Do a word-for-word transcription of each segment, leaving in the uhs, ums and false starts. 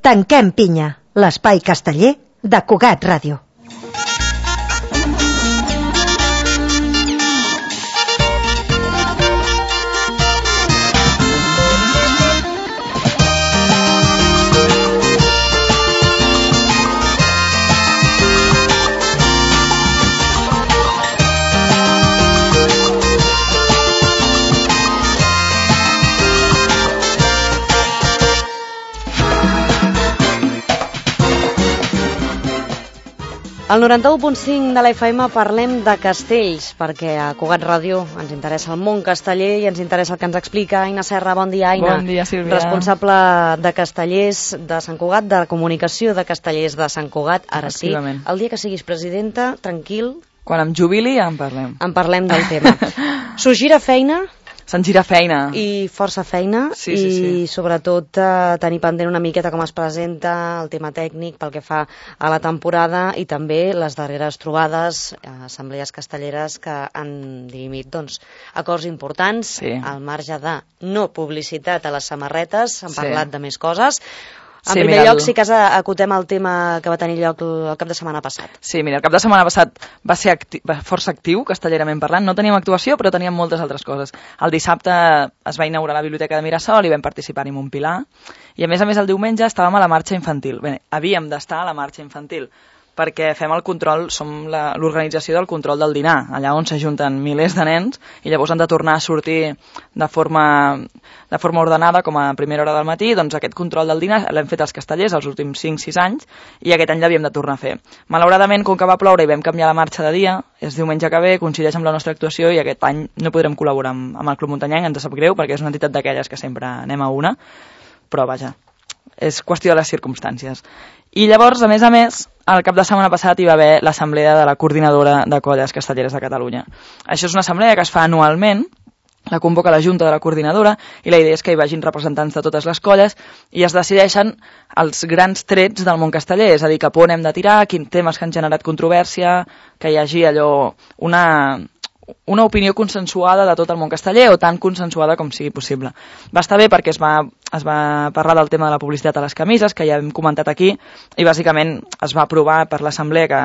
Tanquem pinya, l'espai casteller de Cugat Ràdio. Al noranta-u punt cinc de la F M parlem de castells, perquè a Cugat Ràdio ens interessa el món casteller i ens interessa el que ens explica Aina Serra. Bon dia, Aina. Bon dia, Sílvia. Responsable de castellers de Sant Cugat, de comunicació de castellers de Sant Cugat. Ara sí, el dia que siguis presidenta, tranquil. Quan em jubili ja en parlem. En parlem del tema. S'us gira feina... Se'n gira feina. I força feina, sí, sí, sí. I sobretot eh, tenir pendent una miqueta com es presenta el tema tècnic pel que fa a la temporada i també les darreres trobades, eh, assemblees castelleres que han dirimit doncs, acords importants, sí. Al marge de no publicitat a les samarretes, han sí. parlat de més coses. En sí, primer mira, lloc, el... sí que acotem el tema que va tenir lloc el cap de setmana passat. Sí, mira, el cap de setmana passat va ser acti... va força actiu, castellerament parlant. No teníem actuació, però teníem moltes altres coses. El dissabte es va inaugurar la Biblioteca de Mirasol i vam participar-hi amb un pilar. I a més a més el diumenge estàvem a la marxa infantil. Bé, havíem d'estar a la marxa infantil, perquè fem el control, som l'organització del control del dinar, allà on s'ajunten milers de nens i llavors han de tornar a sortir de forma, de forma ordenada, com a primera hora del matí. Doncs aquest control del dinar l'hem fet els castellers els últims cinc sis anys i aquest any l'havíem de tornar a fer. Malauradament, com que va ploure i vam canviar la marxa de dia, és diumenge que ve, coincideix amb la nostra actuació i aquest any no podrem col·laborar amb, amb el Club Muntanyenc, ens sap greu perquè és una entitat d'aquelles que sempre anem a una, però vaja, és qüestió de les circumstàncies. I llavors, a més a més, el cap de setmana passat hi va haver l'assemblea de la Coordinadora de Colles Castelleres de Catalunya. Això és una assemblea que es fa anualment, la convoca la Junta de la Coordinadora i la idea és que hi vagin representants de totes les colles i es decideixen els grans trets del món casteller, és a dir, cap on hem de tirar, quins temes que han generat controvèrsia, que hi hagi allò una... una opinió consensuada de tot el món casteller o tan consensuada com sigui possible. Va estar bé perquè es va, es va parlar del tema de la publicitat a les camises, que ja hem comentat aquí, i bàsicament es va aprovar per l'assemblea que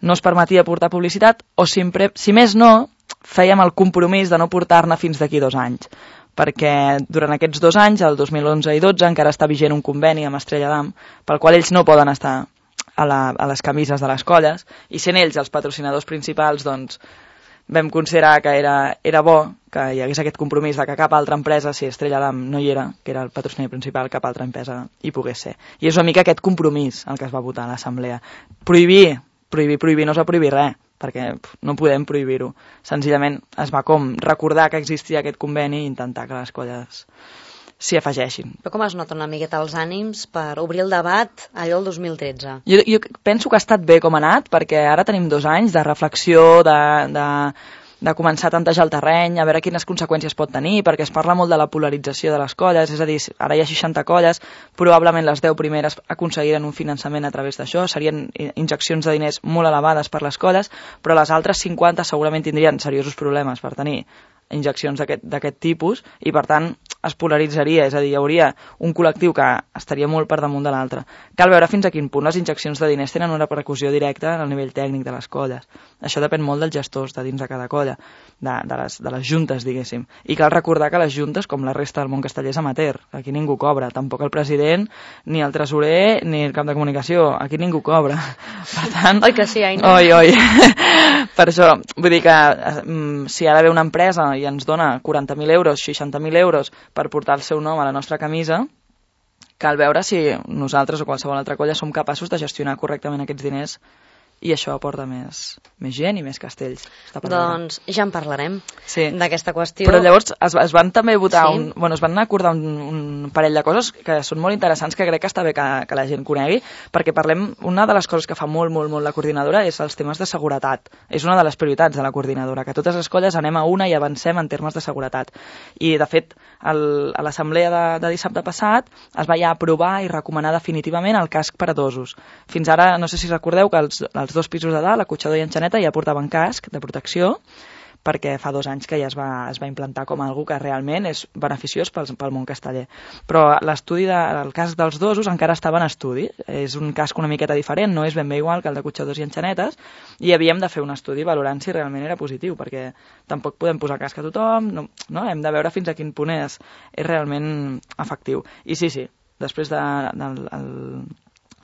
no es permetia portar publicitat o sempre, si més no, fèiem el compromís de no portar-ne fins d'aquí dos anys. Perquè durant aquests dos anys, el dos mil onze i dotze, encara està vigent un conveni amb Estrella d'Am, pel qual ells no poden estar a, la, a les camises de les colles, i sent ells els patrocinadors principals, doncs vam considerar que era, era bo que hi hagués aquest compromís de que cap altra empresa, si Estrella d'Am no hi era, que era el patrocinador principal, cap altra empresa hi pogués ser. I és una mica aquest compromís el que es va votar a l'assemblea. Prohibir, prohibir, prohibir, no es va prohibir res, perquè no podem prohibir-ho. Senzillament es va com recordar que existia aquest conveni i intentar que les colles s'hi afegeixin. Però com es noten una miqueta els ànims per obrir el debat allò el dos mil tretze? Jo, jo penso que ha estat bé com ha anat, perquè ara tenim dos anys de reflexió, de, de, de començar a tantejar el terreny, a veure quines conseqüències pot tenir, perquè es parla molt de la polarització de les colles, és a dir, ara hi ha seixanta colles, probablement les deu primeres aconseguiren un finançament a través d'això, serien injeccions de diners molt elevades per les colles, però les altres cinquanta segurament tindrien seriosos problemes per tenir injeccions d'aquest tipus i per tant es polaritzaria, és a dir, hi hauria un col·lectiu que estaria molt per damunt de l'altre. Cal veure fins a quin punt les injeccions de diners tenen una repercussió directa al nivell tècnic de les colles. Això depèn molt dels gestors de dins de cada colla, de, de, les, de les juntes, diguéssim. I cal recordar que les juntes, com la resta del món casteller, és amateur. Aquí ningú cobra, tampoc el president, ni el tresorer, ni el cap de comunicació. Aquí ningú cobra. Per tant... Oi que sí, Aina? Oi, oi. Per això, vull dir que um, si ha d'haver una empresa i ens dona quaranta mil euros, seixanta mil euros per portar el seu nom a la nostra camisa, cal veure si nosaltres o qualsevol altra colla som capaços de gestionar correctament aquests diners i això aporta més, més gent i més castells. Doncs ja en parlarem sí. d'aquesta qüestió. Però llavors es, es van també votar, sí. un, bueno, es van acordar un, un parell de coses que són molt interessants, que crec que està bé que, que la gent conegui, perquè parlem, una de les coses que fa molt, molt, molt la coordinadora és els temes de seguretat. És una de les prioritats de la coordinadora, que totes les colles anem a una i avancem en termes de seguretat. I, de fet, el, a l'assemblea de, de dissabte passat es va ja aprovar i recomanar definitivament el casc per a dosos. Fins ara, no sé si recordeu que els, els dos pisos de dalt, la Cotxador i Enxaneta, ja portaven casc de protecció, perquè fa dos anys que ja es va, es va implantar com algo que realment és beneficiós pel, pel món casteller. Però l'estudi, de, el cas dels dosos encara estava en estudi. És un casc una miqueta diferent, no és ben bé igual que el de cotxadors i enxanetes, i havíem de fer un estudi valorant si realment era positiu, perquè tampoc podem posar casc a tothom, no, no? Hem de veure fins a quin punt és, és realment efectiu. I sí, sí, després de, de, el,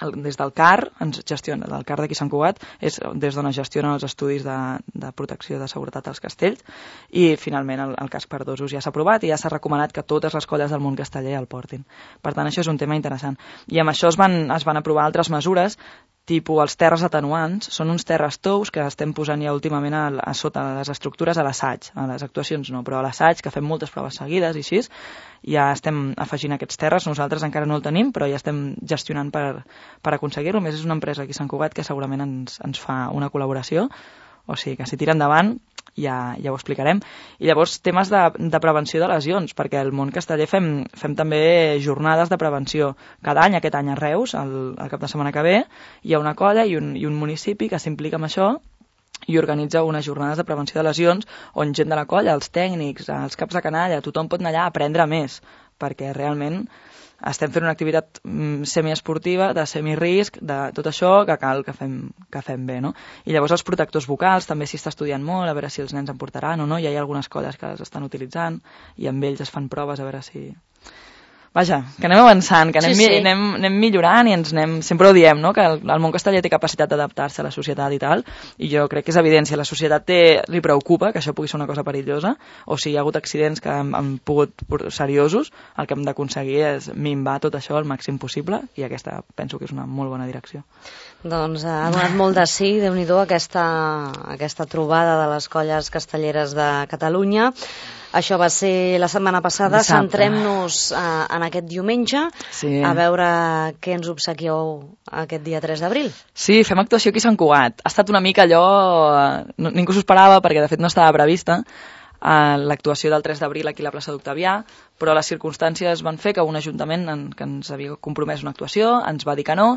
el, des del C A R, ens gestiona, del C A R d'aquí Sant Cugat, és des d'on es gestionen els estudis de, de protecció de seguretat als castells, i finalment el, el casc per dosos ja s'ha aprovat i ja s'ha recomanat que totes les colles del món casteller el portin. Per tant, això és un tema interessant. I amb això es van, es van aprovar altres mesures, tipus els terres atenuants, són uns terres tous que estem posant ja últimament a, a sota les estructures a l'assaig, a les actuacions no, però a l'assaig, que fem moltes proves seguides i així, ja estem afegint aquests terres, nosaltres encara no el tenim, però ja estem gestionant per, per aconseguir-ho. A més, és una empresa aquí a Sant Cugat que segurament ens, ens fa una col·laboració, o sigui que si tira endavant ja, ja ho explicarem. I llavors temes de, de prevenció de lesions, perquè al món casteller fem, fem també jornades de prevenció. Cada any, aquest any a Reus, el, el cap de setmana que ve, hi ha una colla i un, i un municipi que s'implica amb això i organitza unes jornades de prevenció de lesions on gent de la colla, els tècnics, els caps de canalla, tothom pot anar allà a aprendre més, perquè realment estem fent una activitat semiesportiva, de semirisc, de tot això que cal que fem, que fem bé, no? I llavors els protectors vocals també s'hi està estudiant molt, a veure si els nens en portaran o no, ja hi ha algunes colles que els estan utilitzant i amb ells es fan proves a veure si... Vaja, que anem avançant, que anem, sí, sí. anem, anem millorant i ens anem... Sempre ho diem, no?, que el, el món casteller té capacitat d'adaptar-se a la societat i tal, i jo crec que és evident, si la societat té, li preocupa que això pugui ser una cosa perillosa, o si hi ha hagut accidents que han, han pogut seriosos, el que hem d'aconseguir és minvar tot això al màxim possible, i aquesta penso que és una molt bona direcció. Doncs ha donat molt de sí, Déu-n'hi-do, aquesta, aquesta trobada de les colles castelleres de Catalunya. Això va ser la setmana passada. Centrem-nos uh, en aquest diumenge, sí. A veure què ens obsequieu aquest dia tres d'abril. Sí, fem actuació aquí a Sant Cugat. Ha estat una mica allò... No, ningú s'ho esperava, perquè de fet no estava prevista, uh, l'actuació del tres d'abril aquí a la plaça d'Octavià, però les circumstàncies van fer que un ajuntament en, que ens havia compromès una actuació ens va dir que no,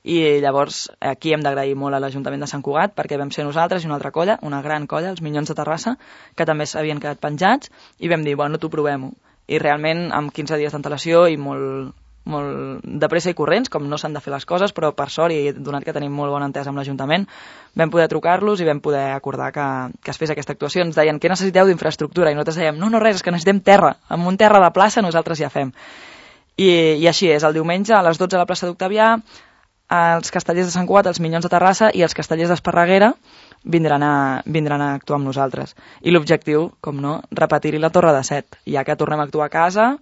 i llavors aquí hem d'agrair molt a l'Ajuntament de Sant Cugat, perquè vam ser nosaltres i una altra colla, una gran colla, els Minyons de Terrassa, que també s'havien quedat penjats, i vam dir, bueno, t'ho provem-ho. I realment, amb quinze dies d'antelació i molt, molt de pressa i corrents, com no s'han de fer les coses, però per sort, i donat que tenim molt bona entesa amb l'Ajuntament, vam poder trucar-los i vam poder acordar que, que es fes aquesta actuació. Ens deien, què necessiteu d'infraestructura? I nosaltres dèiem, no, no res, és que necessitem terra. Amb un terra de plaça nosaltres ja fem. I, i així és, el diumenge a les dotze a la plaça d'Octavià, els castellers de Sant Cugat, els Minyons de Terrassa i els castellers d'Esparreguera vindran a, vindran a actuar amb nosaltres. I l'objectiu, com no, repetir-hi la Torre de Set. Ja que tornem a actuar a casa,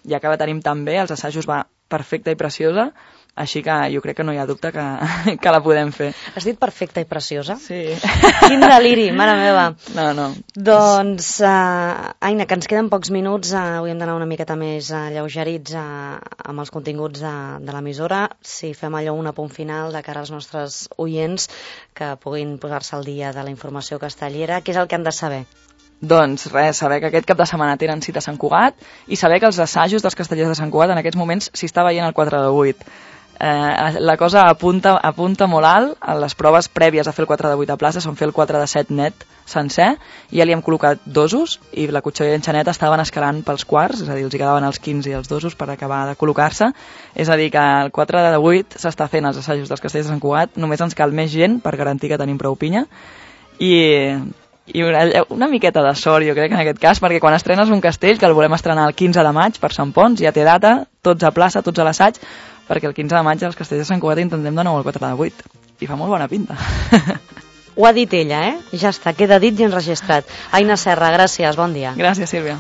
ja que tenim també, els assajos va perfecta i preciosa, així que jo crec que no hi ha dubte que, que la podem fer. Has dit perfecta i preciosa? Sí. Quin deliri, mare meva. No, no. Doncs, uh, Aina, que ens queden pocs minuts, uh, hauríem d'anar una miqueta més uh, lleugerits uh, amb els continguts de, de l'emissora. Si fem allò un apunt final de cara als nostres oients que puguin posar-se al dia de la informació castellera, què és el que han de saber? Doncs res, saber que aquest cap de setmana tenen cita a Sant Cugat i saber que els assajos dels castellers de Sant Cugat en aquests moments s'hi està veient el quatre de vuit. Eh, la cosa apunta, apunta molt alt. Les proves prèvies a fer el quatre de vuit a plaça són fer el quatre de set net sencer, i ja li hem col·locat dosos i la cotxadora i l'enxaneta estaven escalant pels quarts, és a dir, els hi quedaven els quinze i els dosos per acabar de col·locar-se. És a dir, que el quatre de vuit s'està fent els assajos dels castellers de Sant Cugat, només ens cal més gent per garantir que tenim prou pinya i... i una, una miqueta de sort, jo crec, en aquest cas, perquè quan estrenes un castell, que el volem estrenar el quinze de maig per Sant Pons, ja té data, tots a plaça, tots a l'assaig, perquè el quinze de maig els castells de Sant Cugat intentem de nou el quatre de vuit, i fa molt bona pinta. Ho ha dit ella, eh? Ja està, queda dit i enregistrat. Aina Serra, gràcies, bon dia. Gràcies, Sílvia.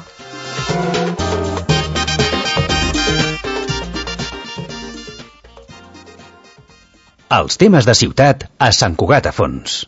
Els temes de ciutat a Sant Cugat a Fons.